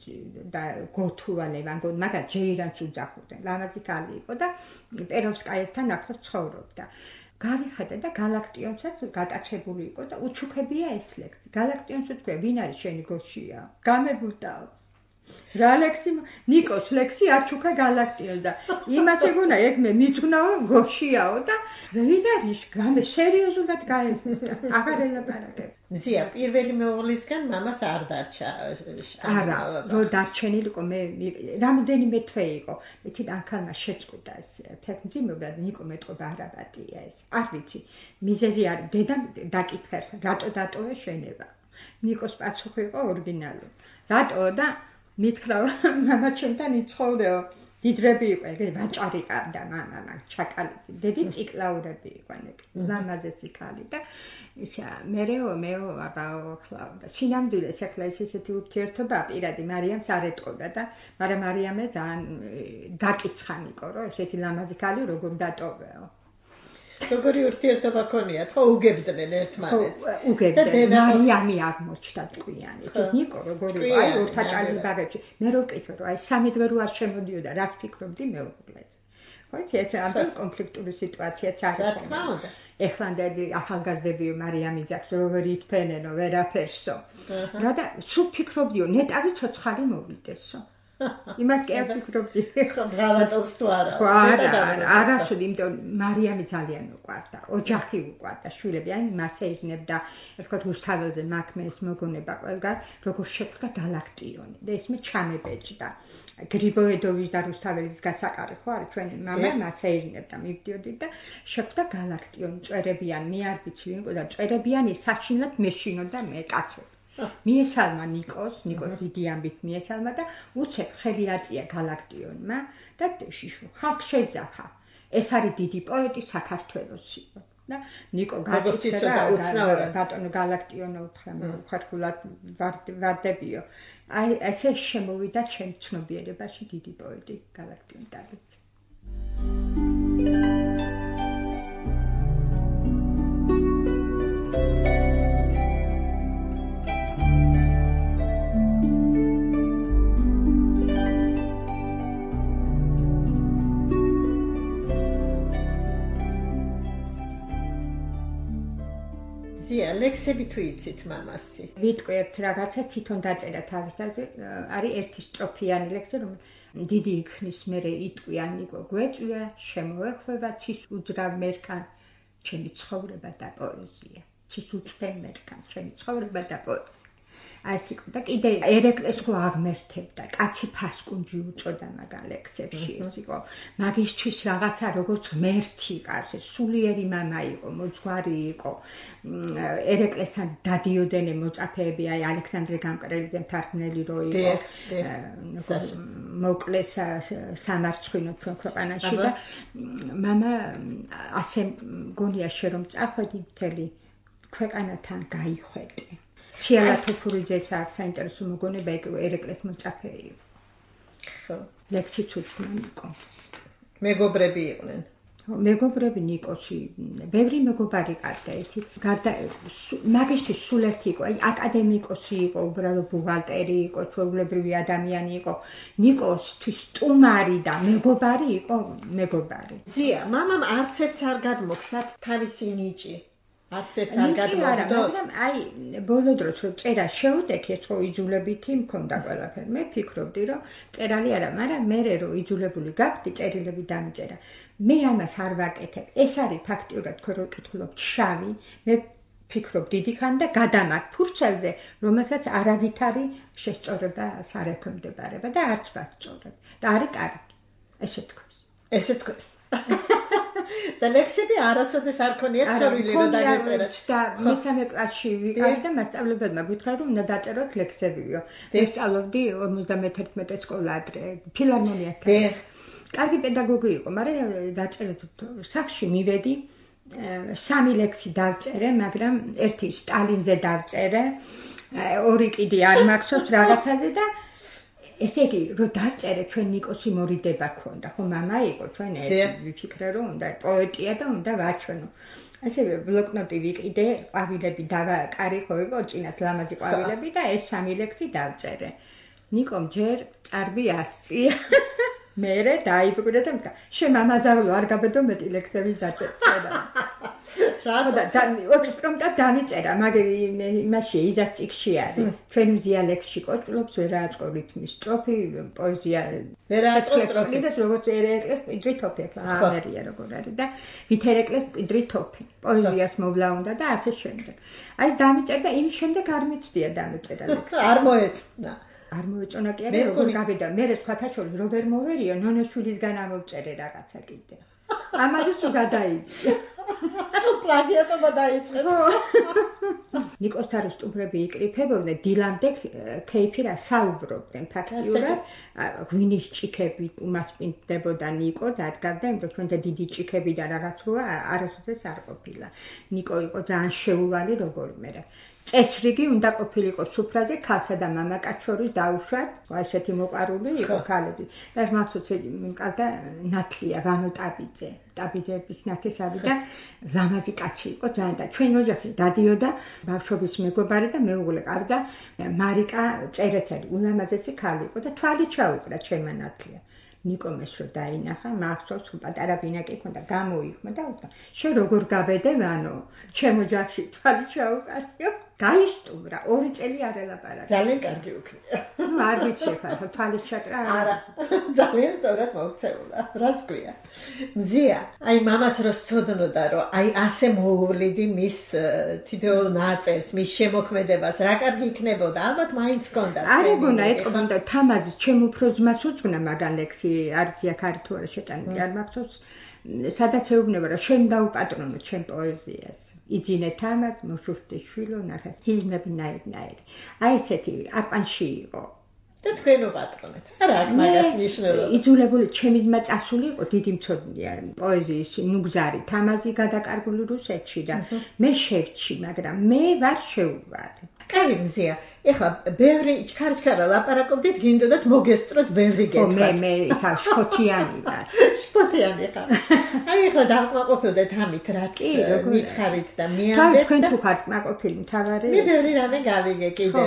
და გოთუვა ლევანგო მაგა ჯეირანს უძახოდნენ ლამაზი ქალი იყო და პეროვსკაიასთან ახლოს ცხოვრობდა. გავიხატე და გალაქტიონსაც გატაცებული იყო და უჩუქებია ეს ლექსი. გალაქტიონს უთქვია, ვინ არის შენი გოშია? გამებუტაო. რა ლექსი? ნიკოს ლექსი აჩუქა გალაქტიონს და იმას ეგონა ეგ მე მიძვნაო გოშიაო და ვინ არის? გამე სერიოზულად გაემხნია. აღარ ელაპარაკებ. ზია პირველი მეუღლისგან მამას არ დარჩა. არა, რო დარჩენილიყო მე რამდენიმე თვე იყო. იცით ამ ქალმა შეწყვიტა ეს ფეხმძიმება და ნიკო მეტყობა არაბატია ეს. არ ვიცი, მიზეზი არ დედამ დაკითხეს, რატო დატოვე შენება. ნიკოს პასუხი იყო ორიგინალური. რატო და მითხრა მამა ჩემთან იცხოვრეო. დიდრები იყო, ეგრე ვაჭარი ყავდა მამა, მაგ ჩაკალეთი. დედი ციკლაურები იყვნენ, ლამაზესი ქალი და ისა მერეო მეო აბაო ხლავდა. სინამდვილეს ახლა ეს ესეთი ურთიერთობა პირადი მარიამს არ ეტყოდა და მაგრამ მარიამე ძალიან დაკიცხანიკო, რომ ესეთი ლამაზი ქალი როგორ დატოვეო. როგორი ურთიერთობა ქონიათ, ხო უგებდნენ ერთმანეთს. უგებდნენ. მარიამი აღმოჩნდა ტყვიანი. ნიკო როგორი აი ორთაჭალი ბაღებში. მე რო ვკითხე რომ აი სამი დღე რო არ შემოდიოდა, რას ფიქრობდი მეუღლეზე. ხო იცი ეს ამდენ კონფლიქტური სიტუაციაც არის. რა თქმა უნდა. ეხლანდელი ახალგაზრდები მარიამი ძახს როგორ ითფენენო ვერაფერსო. რა და სულ ფიქრობდიო ნეტავი ცოცხალი მოვიდესო. იმას კი არ ფიქრობდი. ხო, ბრავატობს თუ არა. ხო, არა, არასოდეს, იმიტომ მარიამი ძალიან უყვარდა. ოჯახი უყვარდა, შვილები, აი მასე იგნებდა, ეს თქვა რუსთაველზე მაქმეს მოგონება ყველგან, როგორ შეხვდა გალაქტიონი. და ეს მე ჩამებეჭდა. გრიბოედოვის და რუსთაველის გასაყარი ხო არის ჩვენ მამა მასე იგნებდა, მივდიოდი და შეხვდა გალაქტიონი, წვერებიანი, მე არ ვიცი ვინ იყო და წვერებიანი საშინლად მეშინოდა მე კაცები. მიესალმა ნიკოს, ნიკოს დიდი ამბით მიესალმა და უცებ ხელი აწია გალაქტიონმა და ხალხ შეძახა. ეს არის დიდი პოეტი საქართველოსი. და ნიკო გაწიწდა და ბატონო გალაქტიონო უთხრა მე ხარხულად ვარდებიო. აი ესე შემოვიდა ჩემ ცნობიერებაში დიდი პოეტი გალაქტიონ ტალიცი. ზია ლექსები თუ იცით მამასი? ვიტყვი ერთ რაღაცა თვითონ დაწერა თავისთავად არის ერთი სტროფიანი ლექსი რომ დიდი იქნის მერე იტყვიან ნიკო გვეწვია შემოეხვევა ცის უძრავ მერქან ჩემი ცხოვრება და პოეზია ცის უწფენ მერქან ჩემი ცხოვრება და პოეზია აი სიკო და კიდე ერეკლეს ხო აღმერთებდა კაცი ფასკუნჯი უწოდა მაგალ ლექსებში სიკო მაგისთვის რაღაცა როგორც ღმერთი ყავს სულიერი მამა იყო მოძღვარი იყო ერეკლესთან დადიოდენ მოწაფეები აი ალექსანდრე გამკრელიძე მთარგმნელი რო იყო მოკლეს სამარცხვინო ჩვენ ქვეყანაში და მამა ასე მგონია შე რომ წახვედი მთელი ქვეყანათან გაიხვედი ციალა თოფურიძეს აქვს საინტერესო მოგონება ერეკლეს მოწაფე იყო. ხო. ლექსიც უთქნა ნიკო. მეგობრები იყვნენ. მეგობრები ნიკოსი, ბევრი მეგობარი ყავდა ერთი. გარდა მაგისტრის სულ ერთი იყო, აი აკადემიკოსი იყო, უბრალოდ ბუღალტერი იყო, ჩვეულებრივი ადამიანი იყო. ნიკოსთვის სტუმარი და მეგობარი იყო, მეგობარი. ზია, მამამ არც ერთს არ გადმოგცათ თავისი ნიჭი. არც ერთს არ გადმოგდო. მაგრამ აი ბოლო დროს რომ წერა შეუდექი, ეს ხო იძულებითი მქონდა ყველაფერი. მე ფიქრობდი რომ წერალი არა, მაგრამ მე რომ იძულებული გაგვდი, წერილები დამიწერა. მე ამას არ ვაკეთებ. ეს არის ფაქტიურად ხო რომ კითხულობ შავი. მე ფიქრობ დიდი ხან და გადამაგ ფურცელზე, რომელსაც არავითარი შესწორება არ ექვემდებარება და არც ვასწორებ. და არის კარგი. ესე თქოს. ესე თქოს. და ლექსები არასოდეს არ ქონიათ სურვილი რომ დაგეწერათ. და მესამე კლასში ვიყავი და მასწავლებელმა გითხრა რომ უნდა დაწეროთ ლექსებიო. მე ვსწავლობდი ორმოცდამეთერთმეტე სკოლა ადრე, ფილარმონიასთან. კარგი პედაგოგი იყო, მაგრამ დაწერეთ სახში მივედი, სამი ლექსი დავწერე, მაგრამ ერთი სტალინზე დავწერე, ორი კიდე არ მახსოვს რაღაცაზე და ესე იგი, რომ დავწერე ჩვენ ნიკოსი მორიდება ქონდა, ხო მამა იყო ჩვენ ერთი ვიფიქრე რომ უნდა პოეტია და უნდა ვაჩვენო. ასე ბლოკნოტი ვიყიდე, ყვავილები დავაკარი ხო იყო, წინათ ლამაზი ყვავილები და ეს სამი ლექსი დავწერე. ნიკომ ჯერ წარბი ასწია. მერე დაიბრუნდა და მთა შენ მამაძაღლო არ გაბედო მეტი ლექსების დაწერა. რა და ექსპრომტად დამიწერა, მაგრამ იმაში იზას წიგში არის. ჩვენ მზია ლექსში კოჭლობს ვერააწყო რითმის სტროფი, პოეზია ვერააწყო სტროფი და როგორც ერეკლეს ყიდრი თოფი ახლა ამერია როგორ არის და ვითერეკლეს ყიდრი თოფი. პოეზიას მოვლა უნდა და ასე შემდეგ. აი დამიწერდა, იმის შემდეგ არ მიცდია დამიწერა ლექსი. არ მოეწონა. არ მოეწონა კი არა, როგორ გავიდა. მე სხვათა შორის რო ვერ მოვერიო, ნონოშვილისგან ამოვწერე რაღაცა კიდე. ამაზე თუ გადაიჭი. პლაგიატობა დაიწყო. ნიკოსთან სტუმრები იკრიფებოდნენ, დილამდე ქეიფი რა საუბრობდნენ ფაქტიურად, ღვინის ჭიქები უმასპინდებოდა ნიკო და ადგავდა, იმიტომ ჩვენ და დიდი ჭიქები და რაღაც როა არასოდეს არ ყოფილა. ნიკო იყო ძალიან შეუვალი როგორმე რა. წესრიგი უნდა ყოფილიყო სუფრაზე ქალსა და მამაკაც შორის დაუშვათ, ესეთი მოყარული იყო ქალები. და მახსოვს მყავდა ნათლია ვანო ტაბიძე, ტაბიძეების ნათესავი და ლამაზი კაცი იყო ძალიან და ჩვენ ოჯახში დადიოდა ბავშვობის მეგობარი და მეუღლე ყავდა მარიკა წერეთელი, ულამაზესი ქალი იყო და თვალი ჩაუყრა ჩემმა ნათლია. ნიკომ ეს რო დაინახა, მახსოვს პატარა ბინაკი ქონდა, გამოიხმა და უთხრა, შენ როგორ გაბედე ვანო, ჩემ ოჯახში თვალი ჩაუყარიო. გაისტუმრა, ორი წელი არ ელაპარაკა. ძალიან კარგი უქნია. ნუ არ ვიცი ხა, თვალი ჩაკრა. არა, ძალიან სწორად მოქცეულა. რას გვია? მზია, აი მამას რო სწოდნოდა, რომ აი ასე მოუვლიდი მის თითოეულ ნაწერს, მის შემოქმედებას, რა კარგი იქნებოდა, ალბათ მაინც ჰქონდა. არ ეგონა, ეთყობოდა თამაზის ჩემ უფრო ძმას უძღვნა მაგან ლექსი, არც აქ არის თუ არა შეტანილი, არ მახსოვს, სადაც ეუბნება, რომ შენ დაუპატრონო ჩემ პოეზიას. იძინე თამაზ, მოშუშტე შვილო, ნახეს, ჰიზმები ნაირ-ნაირი. აი ესეთი აყვანში იყო. და თქვენ უპატრონეთ. არა აქ მაგას ნიშნულობა. იძულებული ჩემი ძმა წასული იყო, დიდი მცოდნეა პოეზიის ნუგზარი, თამაზი გადაკარგული რუსეთში და მე შევჩი, მაგრამ მე ვარ შეუვარი. კარგი მზია. ეხლა ბევრი ჩქარჩქარა ლაპარაკობდით, გინდოდათ მოგესწროთ ბევრი გეთქვათ. ხო, მე მე ისა შფოთიანი ვარ. შფოთიანი ხარ. აი ეხლა დავკმაყოფილდეთ ამით, რაც მითხარით და მიამდეთ. თქვენ თუ ხართ კმაყოფილი მთავარი? მე ბევრი რამე გავიგე კიდე.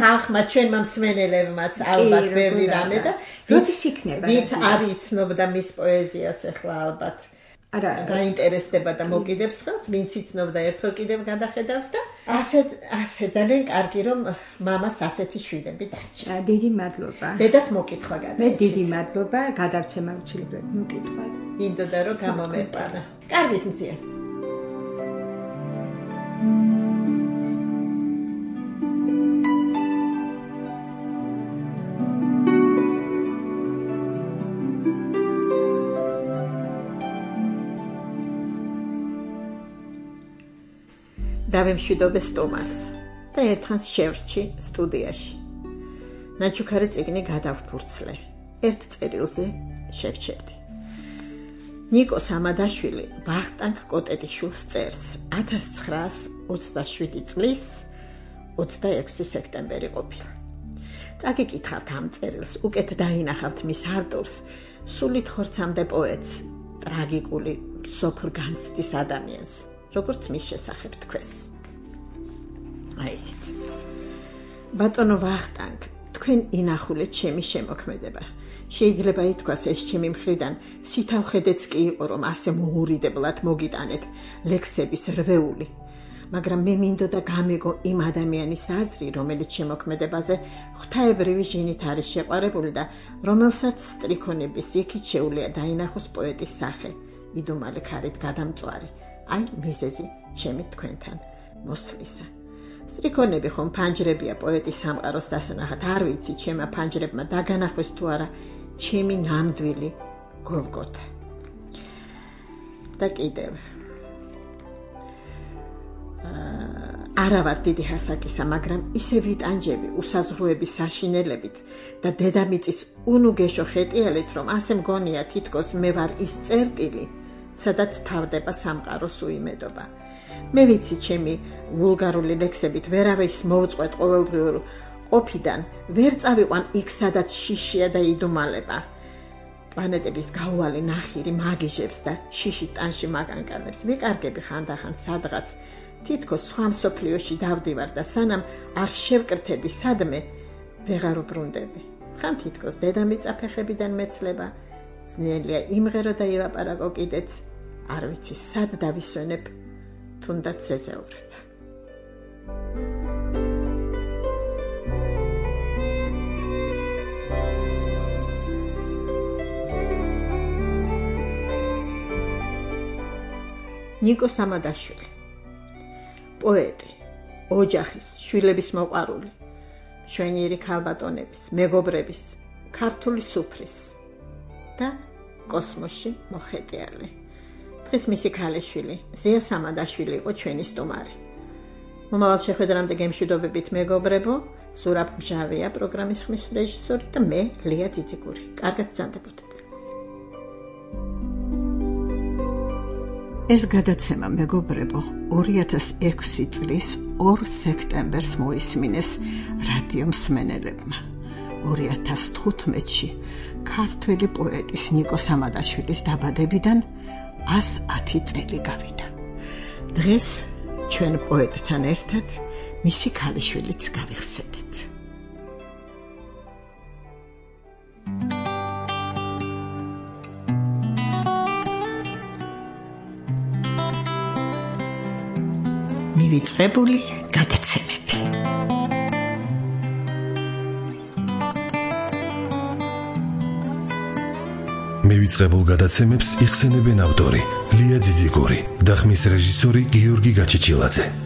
ხალხმა ჩვენმა მსმენელებმაც ალბათ ბევრი რამე და როდის იქნება? ვინც არ იცნობდა მის პოეზიას ეხლა ალბათ. არა გაინტერესდება და მოკიდებს ხელს, ვინც იცნობდა ერთხელ კიდევ გადახედავს და ასე ასე ძალიან კარგი რომ მამას ასეთი შვილები დარჩა. დიდი მადლობა. დედას მოკითხვა გადაეცით. მე დიდი მადლობა, გადავცემა უცილებლად მოკითხვას. მინდოდა რომ გამომეყარა. კარგით მზია. დავემშვიდობე სტუმარს და ერთხანს შევრჩი სტუდიაში. ნაჩუქარი წიგნი გადავფურცლე. ერთ წერილზე შევჩერდი. ნიკო სამადაშვილი ვახტანგ კოტეტიშვილს წერს ათას ცხრაას ოცდაშვიდი წლის ოცდაექვსი სექტემბერი ყოფილა. წაგიკითხავთ ამ წერილს, უკეთ დაინახავთ მის ავტორს, სულით ხორცამდე პოეტს, ტრაგიკული სოფლ განცდის ადამიანს, როგორც მის შესახებ თქვეს. აი ესეც. ბატონო ვახტანგ, თქვენ ინახულეთ ჩემი შემოქმედება. შეიძლება ითქვას ეს ჩემი მხრიდან სითავხედეც კი იყო, რომ ასე მოურიდებლად მოგიტანეთ ლექსების რვეული. მაგრამ მე მინდოდა გამეგო იმ ადამიანის აზრი, რომელიც შემოქმედებაზე ღვთაებრივი ჟინით არის შეყვარებული და რომელსაც სტრიქონების იქით შეუძლია დაინახოს პოეტის სახე, იდუმალი ქარით გადამწვარი. აი მიზეზი ჩემი თქვენთან მოსვლისა. სტრიქონები ხომ ფანჯრებია პოეტის სამყაროს დასანახად, არ ვიცი ჩემმა ფანჯრებმა დაგანახვეს თუ არა ჩემი ნამდვილი გოლგოთა. და კიდევ არა ვარ დიდი հասაკისა, მაგრამ ისე ვიტანჯები უსაზღვროების საშინელებით და დედამიწის უნუგეშო ხეტიალით, რომ ასე მგონია თითქოს მე ვარ ის წერტილი, სადაც თავდება სამყაროს უიმედობა. მე ვიცი ჩემი ვულგარული ლექსებით ვერავის მოვწყვეტ ყოველდღიურ ყოფიდან, ვერ წავიყვან იქ, სადაც შიშია და იდუმალება. პლანეტების გაუვალი ნახირი მაგიჟებს და შიში ტანში მაგანკანებს ვიკარგები ხანდახან სადღაც, თითქოს სხვა მსოფლიოში დავდივარ და სანამ არ შევკრთები სადმე, ვეღარ უბრუნდები. ხან თითქოს დედამიწა ფეხებიდან მეცლება, ძნელია იმღერო და ილაპარაკო კიდეც, არ ვიცი სად დავისვენებ, თუნდაც ზეზეურად. ნიკო სამადაშვილი, პოეტი, ოჯახის, შვილების მოყვარული, მშვენიერი ქალბატონების, მეგობრების, ქართული სუფრის და კოსმოსში მოხეტიალი. დღეს მისი ქალიშვილი, ზია სამადაშვილი იყო ჩვენი სტუმარი. მომავალ შეხვედრამდე გემშვიდობებით მეგობრებო, ზურაბ მჟავია პროგრამის ხმის რეჟისორი და მე ლია ძიძიგური. კარგად გრძანდებოდეთ. ეს გადაცემა მეგობრებო ორი ათას ექვსი წლის ორ სექტემბერს მოისმინეს რადიო მსმენელებმა. ორი ათას თხუთმეტში ქართველი პოეტის ნიკო სამადაშვილის დაბადებიდან ას ათი წელი გავიდა. დღეს ჩვენ პოეტთან ერთად მისი ქალიშვილიც გავიხსენეთ. მივიწყებული გადაცემები. მივიწყებულ გადაცემებს იხსენებენ ავტორი ლია ძიძიგური და ხმის რეჟისორი გიორგი გაჩიჩილაძე.